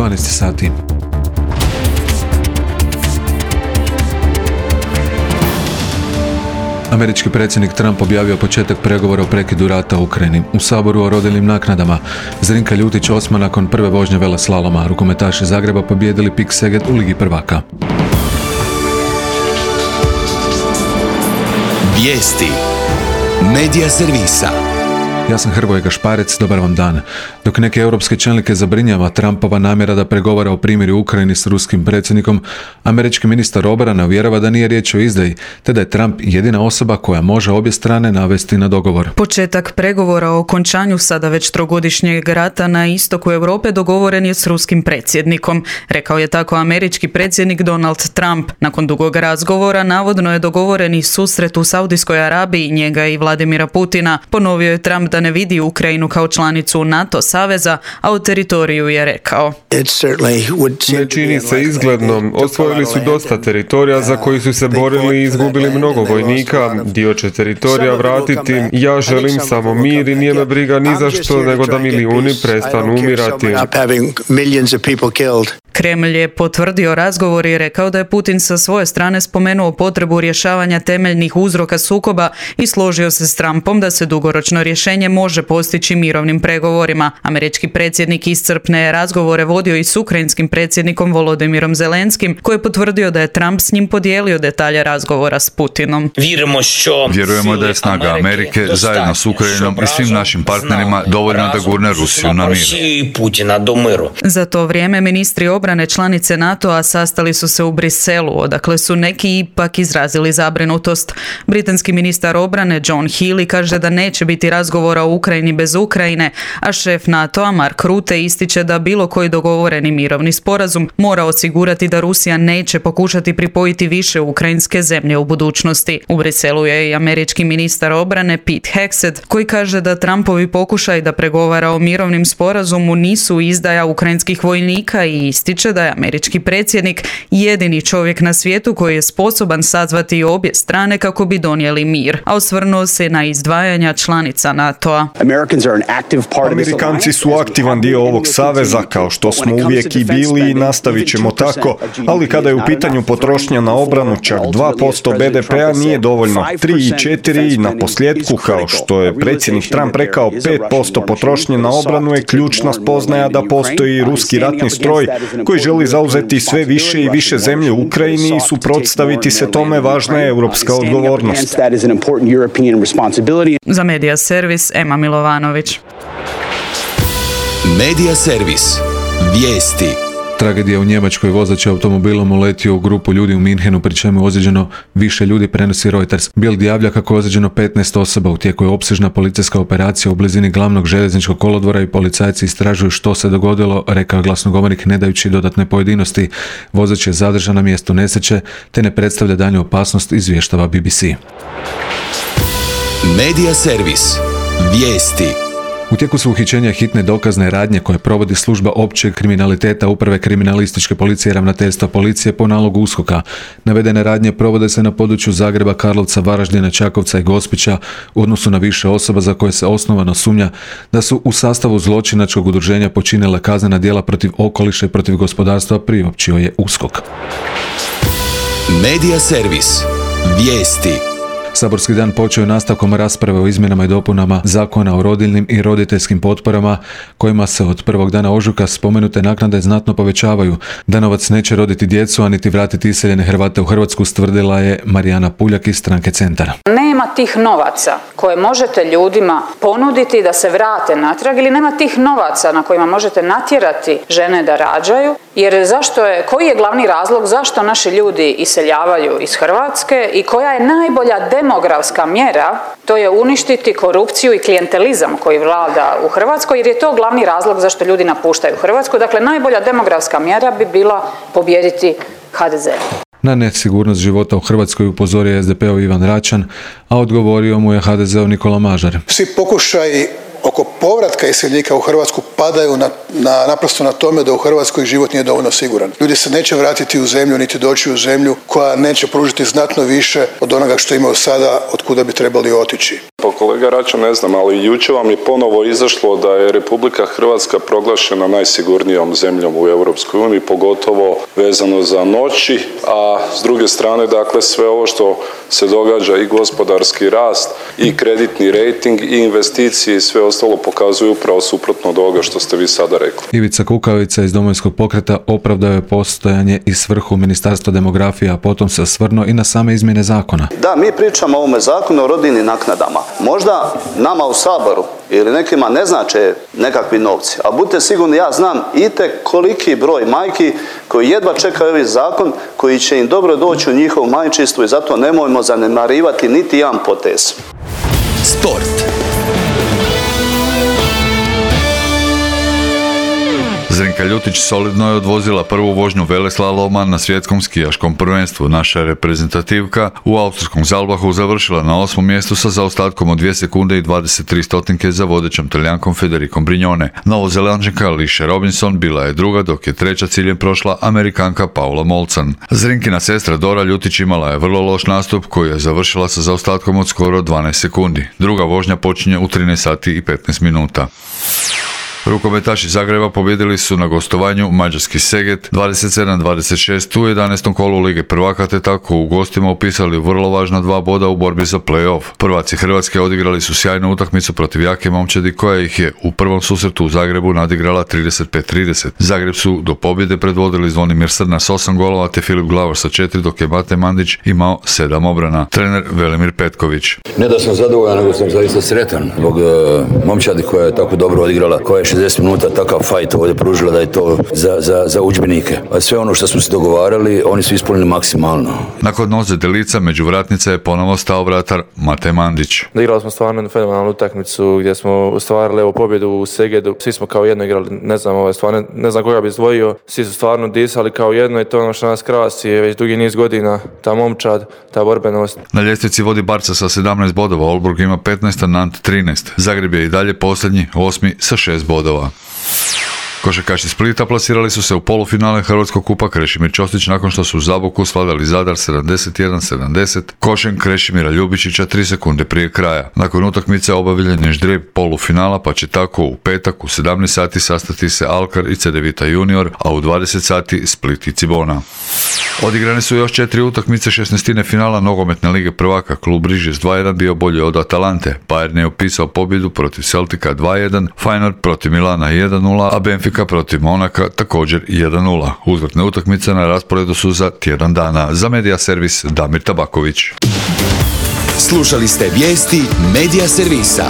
12 sati. Američki predsjednik Trump objavio početak pregovora o prekidu rata u Ukrajini. U Saboru o rodiljnim naknadama. Zrinka Ljutić osma nakon prve vožnje veleslaloma. Rukometaši Zagreba pobijedili PIK Seget u Ligi prvaka. Vijesti Medija servisa. Ja sam Hrvoje Gašparec, dobar vam dan. Dok neke europske čelnike zabrinjava Trumpova namjera da pregovara o primirju u Ukrajini s ruskim predsjednikom, američki ministar obrane uvjerava da nije riječ o izdaji, te da je Trump jedina osoba koja može obje strane navesti na dogovor. Početak pregovora o okončanju sada već trogodišnjeg rata na istoku Europe dogovoren je s ruskim predsjednikom. Rekao je tako američki predsjednik Donald Trump. Nakon dugog razgovora navodno je dogovoren i susret u Saudijskoj Arabiji njega i Vladimira Putina. Ponovio je Trump da ne vidi Ukrajinu kao članicu NATO saveza, a o teritoriju je rekao: Ne čini se izgledno. Osvojili su dosta teritorija za koji su se borili i izgubili mnogo vojnika. Dio će teritorija vratiti. Ja želim samo mir i nije me briga ni za što nego da milijuni prestanu umirati. Kremlj je potvrdio razgovor i rekao da je Putin sa svoje strane spomenuo potrebu rješavanja temeljnih uzroka sukoba i složio se s Trumpom da se dugoročno rješenje može postići mirovnim pregovorima. Američki predsjednik iscrpne razgovore vodio i s ukrajinskim predsjednikom Volodimirom Zelenskim, koji je potvrdio da je Trump s njim podijelio detalje razgovora s Putinom. Vjerujemo da je snaga Amerike zajedno s Ukrajinom i svim našim partnerima dovoljna da gurne Rusiju na mir. Za to vrijeme ministri obrane članice NATO-a sastali su se u Briselu, odakle su neki ipak izrazili zabrinutost. Britanski ministar obrane John Healey kaže da neće biti razgovora o Ukrajini bez Ukrajine, a šef NATO-a Mark Rutte ističe da bilo koji dogovoreni mirovni sporazum mora osigurati da Rusija neće pokušati pripojiti više ukrajinske zemlje u budućnosti. U Briselu je i američki ministar obrane Pete Hegseth, koji kaže da Trumpovi pokušaj da pregovara o mirovnim sporazumu nisu izdaja ukrajinskih vojnika i ističe da je američki predsjednik jedini čovjek na svijetu koji je sposoban sazvati obje strane kako bi donijeli mir, a osvrnuo se na izdvajanja članica NATO-a. Amerikanci su aktivan dio ovog saveza, kao što smo uvijek i bili i nastavit ćemo tako, ali kada je u pitanju potrošnja na obranu, čak 2% BDP-a nije dovoljno. 3 i 4 na posljedku, kao što je predsjednik Trump rekao, 5% potrošnje na obranu je ključna spoznaja da postoji ruski ratni stroj koji želi zauzeti sve više i više zemlje u Ukrajini i suprotstaviti se tome važna je europska odgovornost. Za Medija servis Ema Milovanović. Medija servis. Vijesti. Tragedija u Njemačkoj, vozač je automobilom uletio u grupu ljudi u Minhenu, pri čemu je ozlijeđeno više ljudi, prenosi Reuters. Bild javlja kako je ozlijeđeno 15 osoba. U tijeku je opsežna policijska operacija u blizini glavnog željezničkog kolodvora i policajci istražuju što se dogodilo, rekao je glasnogovornik ne dajući dodatne pojedinosti. Vozač je zadržan na mjestu nesreće te ne predstavlja daljnju opasnost, izvještava BBC. Medija servis. Vijesti. U tijeku su uhićenja hitne dokazne radnje koje provodi služba općeg kriminaliteta Uprave kriminalističke policije i ravnateljstva policije po nalogu USKOK-a. Navedene radnje provode se na području Zagreba, Karlovca, Varaždina, Čakovca i Gospića u odnosu na više osoba za koje se osnovano sumnja da su u sastavu zločinačkog udruženja počinile kaznena djela protiv okoliša i protiv gospodarstva, priopćio je USKOK. Medija servis. Vijesti. Saborski dan počeo je nastavkom rasprave o izmjenama i dopunama Zakona o rodiljnim i roditeljskim potporama, kojima se od prvog dana ožujka spomenute naknade znatno povećavaju. Da novac neće roditi djecu, a niti vratiti iseljene Hrvate u Hrvatsku, stvrdila je Marijana Puljak iz stranke Centar. Nema tih novaca koje možete ljudima ponuditi da se vrate natrag ili nema tih novaca na kojima možete natjerati žene da rađaju, jer koji je glavni razlog zašto naši ljudi iseljavaju iz Hrvatske i koja je najbolja demografska mjera, to je uništiti korupciju i klijentelizam koji vlada u Hrvatskoj, jer je to glavni razlog zašto ljudi napuštaju Hrvatsku. Dakle, najbolja demografska mjera bi bila pobijediti HDZ. Na nesigurnost života u Hrvatskoj upozorio SDP-ov Ivan Račan, a odgovorio mu je HDZ-ov Nikola Mažar. Svi pokušaji oko povratka iseljenika u Hrvatsku padaju naprosto na tome da u Hrvatskoj život nije dovoljno siguran. Ljudi se neće vratiti u zemlju niti doći u zemlju koja neće pružiti znatno više od onoga što imaju sada, od kuda bi trebali otići. Pa kolega Račan, ne znam, ali jučer vam je ponovo izašlo da je Republika Hrvatska proglašena najsigurnijom zemljom u Europskoj uniji, pogotovo vezano za noći, a s druge strane, dakle, sve ovo što se događa i gospodarski rast i kreditni rejting i investicije i sve ostalo pokazuju upravo suprotno od ovoga što ste vi sada rekli. Ivica Kukavica iz Domovinskog pokreta opravdao je postojanje i svrhu Ministarstva demografije, a potom se osvrnuo i na same izmjene zakona. Da, mi pričamo o ovome zakonu o rodiljnim naknadama. Možda nama u Saboru ili nekima ne znače nekakvi novci, a budite sigurni, ja znam koliki broj majki koji jedva čekaju ovaj zakon, koji će im dobro doći u njihovo majčinstvo i zato nemojmo zanemarivati niti jedan potez. Sport. Zrinka Ljutić solidno je odvozila prvu vožnju veleslaloma na svjetskom skijaškom prvenstvu. Naša reprezentativka u austrijskom Zalbahu završila na 8. mjestu sa zaostatkom od 2 sekunde i 23 stotinke za vodećom Talijankom Federicom Brignone. Novozelanđanka Alicia Robinson bila je druga, dok je treća ciljem prošla Amerikanka Paula Molcan. Zrinkina sestra Dora Ljutić imala je vrlo loš nastup koji je završila sa zaostatkom od skoro 12 sekundi. Druga vožnja počinje u 13 sati i 15 minuta. Rukometaši Zagreba pobjedili su na gostovanju mađarski Seget 27-26 u 11. kolu Lige prvaka, te tako u gostima upisali vrlo važna 2 boda u borbi za play-off. Prvaci Hrvatske odigrali su sjajnu utakmicu protiv jake momčadi koja ih je u prvom susretu u Zagrebu nadigrala 35-30. Zagreb su do pobjede predvodili Zvonimir Srna s 8 golova te Filip Glavor sa 4, dok je Mate Mandić imao 7 obrana. Trener Velimir Petković. Ne da sam zadovoljan, nego sam zaista sretan zbog momčadi koja je tako dobro odigrala, koja je 60 minuta takav fajt ovdje pružila da je to za udžbenike. A sve ono što smo se dogovarali, oni su ispunili maksimalno. Nakon noze Delica među vratnice je ponovo stao vratar Mate Mandić. Igrali smo stvarno fenomenalnu utakmicu gdje smo ostvarili pobjedu u Segedu. Svi smo kao jedno igrali, ne znam koga bi izdvojio. Svi su stvarno disali kao jedno i to je ono što nas krasi već dugi niz godina. Ta momčad, ta borbenost. Na ljestvici vodi Barca sa 17 bodova, Olburg ima 15, a Nant 13. Zagreb je i dalje posljednji, 8. sa 6 bodova. Košarkaši Splita plasirali su se u polufinale Hrvatskog kupa Krešimir Ćosić nakon što su u Zaboku svladali Zadar 71-70 košem Krešimira Ljubičića 3 sekunde prije kraja. Nakon utakmice obavljen je ždrijeb polufinala, pa će tako u petak u 17 sati sastati se Alkar i Cedevita Junior, a u 20 sati Split i Cibona. Odigrane su još 4 utakmice 16. finala nogometne lige prvaka. Klub Rižes 2-1 bio bolji od Atalante. Bayern je upisao pobjedu protiv Celtica 2-1, Feyenoord protiv Milana 1-0, a Benfica protiv Monaka također 1-0. Uzvratne utakmice na rasporedu su za tjedan dana. Za Medija servis Damir Tabaković. Slušali ste vijesti Medija servisa.